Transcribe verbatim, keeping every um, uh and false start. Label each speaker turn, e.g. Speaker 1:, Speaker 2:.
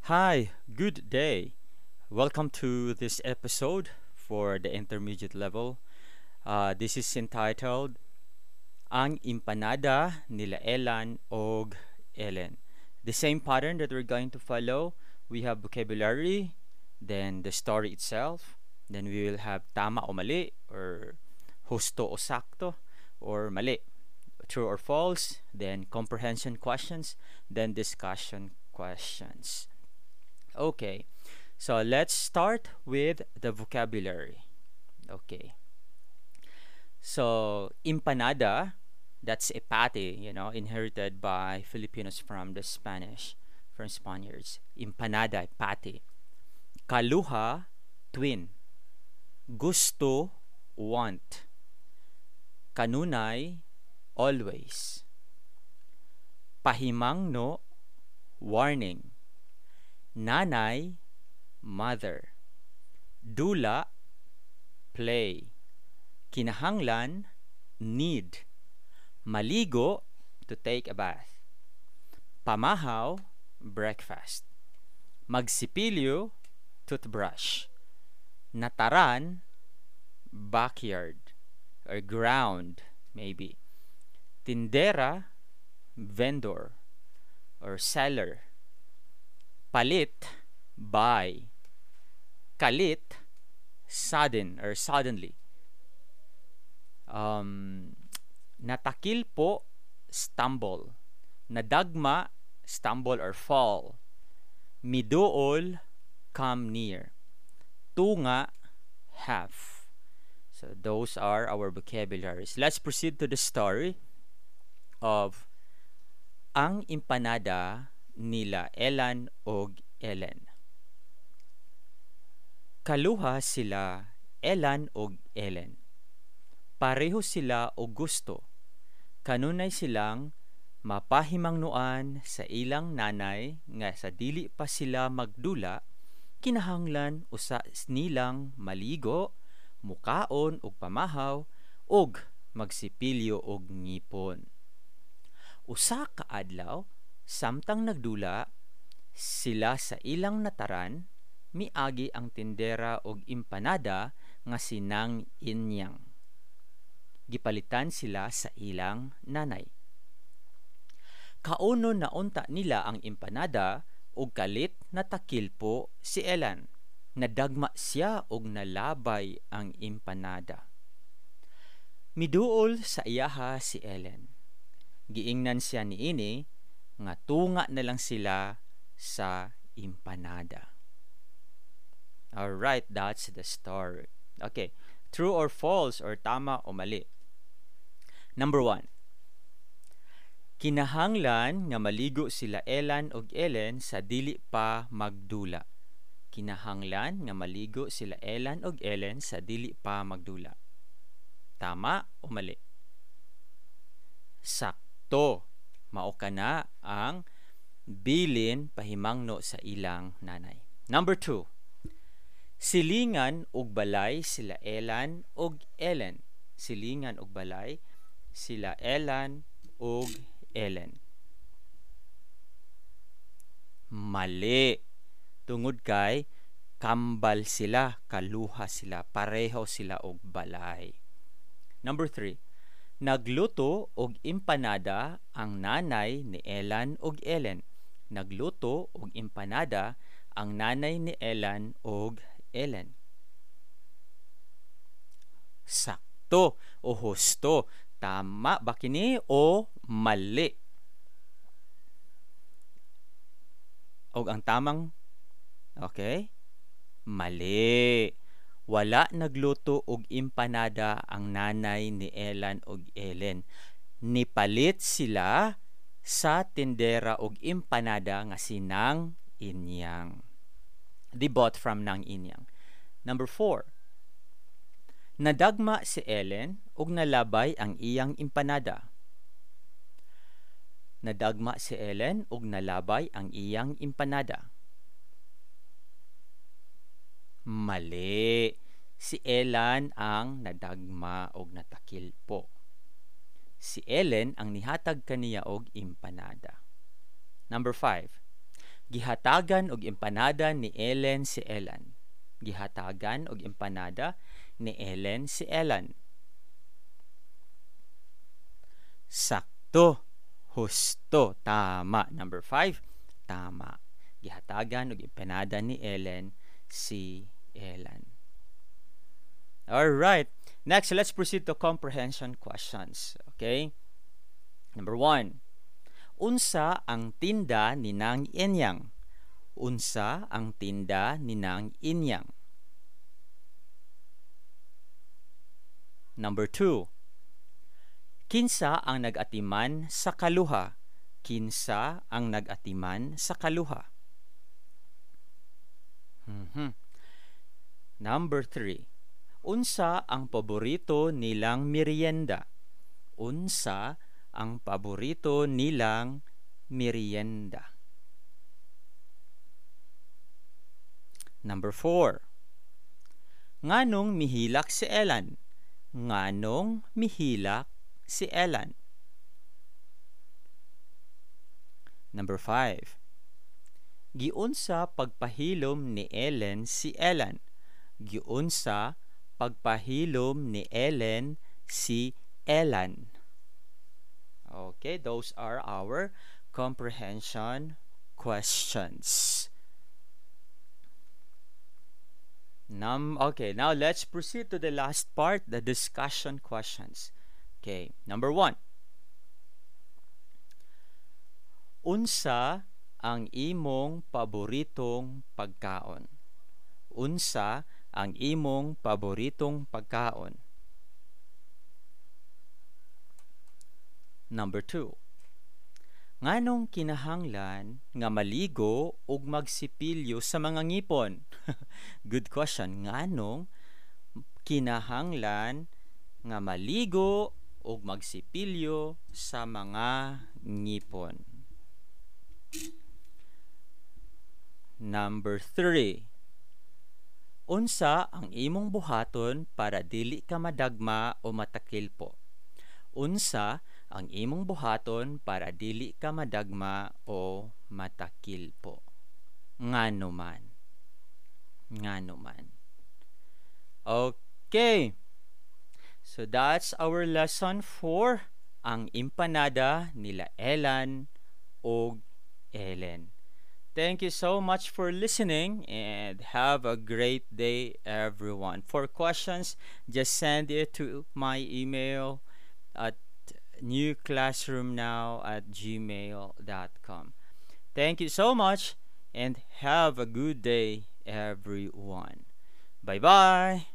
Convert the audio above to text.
Speaker 1: Hi, good day. Welcome to this episode for the intermediate level. Uh, this is entitled Ang Empanada nila Elan og Ellen. The same pattern that we're going to follow, we have vocabulary, then the story itself, then we will have tama o mali, or husto o sakto, or mali, true or false, then comprehension questions, then discussion questions. Okay, so let's start with the vocabulary. Okay. So, empanada, that's a patty, you know, inherited by Filipinos from the Spanish, from Spaniards. Empanada, patty. Kaluha, twin. Gusto, want. Kanunay, always. Pahimangno, warning. Nanay, mother. Dula, play. Kinahanglan, need. Maligo, to take a bath. Pamahaw, breakfast. Magsipilyo, toothbrush. Nataran, backyard or ground, maybe. Tindera, vendor or seller. Palit, buy. Kalit, sudden or suddenly. Um, natakilpo, stumble. Nadagma, stumble or fall. Miduol, come near. Tunga, half. So those are our vocabularies. Let's proceed to the story of Ang Empanada nila Elan og Ellen. Kaluha sila Elan og Ellen. Pareho sila og gusto. Kanunay silang mapahimangnoan sa ilang nanay nga sa dili pa sila magdula, kinahanglan usa nilang maligo, mukaon og pamahaw ug magsipilyo og ngipon. Usa ka adlaw, samtang nagdula sila sa ilang nataran, miagi ang tindera og empanada nga si Nang Inyang. Gipalitan sila sa ilang nanay. Kaunon na unta nila ang empanada ug kalit natakilpo si Elan. Nadagma siya og nalabay ang empanada. Miduol sa iyaha si Ellen. Giingnan siya niini nga tunga na lang sila sa empanada. All right, that's the story. Okay, true or false or tama o mali. Number one. Kinahanglan nga maligo sila Elan og Ellen sa dili pa magdula. Kinahanglan nga maligo sila Elan og Ellen sa dili pa magdula. Tama o mali? Sakto. Mao kana ang bilin pahimangno sa ilang nanay. Number two. Silingan og balay sila Elan og Ellen. Silingan og balay sila Elan og Ellen. Mali. Tungod kay kambal sila, kaluha sila, pareho sila og balay. Number three. Nagluto og empanada ang nanay ni Elan og Ellen. Nagluto og empanada ang nanay ni Elan og Ellen. Sakto o husto. Tama ba kini o mali? Og ang tamang okay? Mali. Wala nagluto og empanada ang nanay ni Elan og Ellen. Nipalit sila sa tindera og empanada nga si Nang Inyang. They bought from Nang Inyang. Number four. Nadagma si Ellen ug nalabay ang iyang empanada. Nadagma si Ellen ug nalabay ang iyang empanada. Mali. Si Elan ang nadagma og natakilpo. Si Ellen ang nihatag kaniya og empanada. Number five. Gihatagan og empanada ni Ellen si Elan. Gihatagan og empanada ni Ellen si Elan. Sakto. Husto. Tama. Number five. Tama. Gihatagan og empanada ni Ellen si Elan. All right. Next, let's proceed to comprehension questions. Okay? Number one. Unsa ang tinda ni Nang Inyang? Unsa ang tinda ni Nang Inyang? Number two. Kinsa ang nag-atiman sa kaluha? Kinsa ang nag-atiman sa kaluha? Mm-hmm. Number three. Unsa ang paborito nilang merienda? Unsa ang paborito nilang merienda? Number four. Nganong mihilak si Elan? Nganong mihilak si Elan? Number five. Giunsa pagpahilom ni Ellen si Elan? Giunsa pagpahilom ni Ellen si Elan? Okay, those are our comprehension questions. Num okay, now let's proceed to the last part, the discussion questions. Okay, number one. Unsa ang imong paboritong pagkaon? Unsa ang imong paboritong pagkaon? Number two. Nganong kinahanglan nga maligo ug magsipilyo sa mga ngipon? Good question. Nganong kinahanglan nga maligo ug magsipilyo sa mga ngipon? Number three. Unsa ang imong buhaton para dili ka madagma o matakilpo? Unsa ang imong buhaton para dili ka madagma o matakilpo? Ngano man. Ngano man. Okay. So that's our lesson for ang empanada nila Elan og Ellen. Thank you so much for listening and have a great day, everyone. For questions, just send it to my email at new classroom now at gmail dot com. Thank you so much and have a good day, everyone. Bye-bye.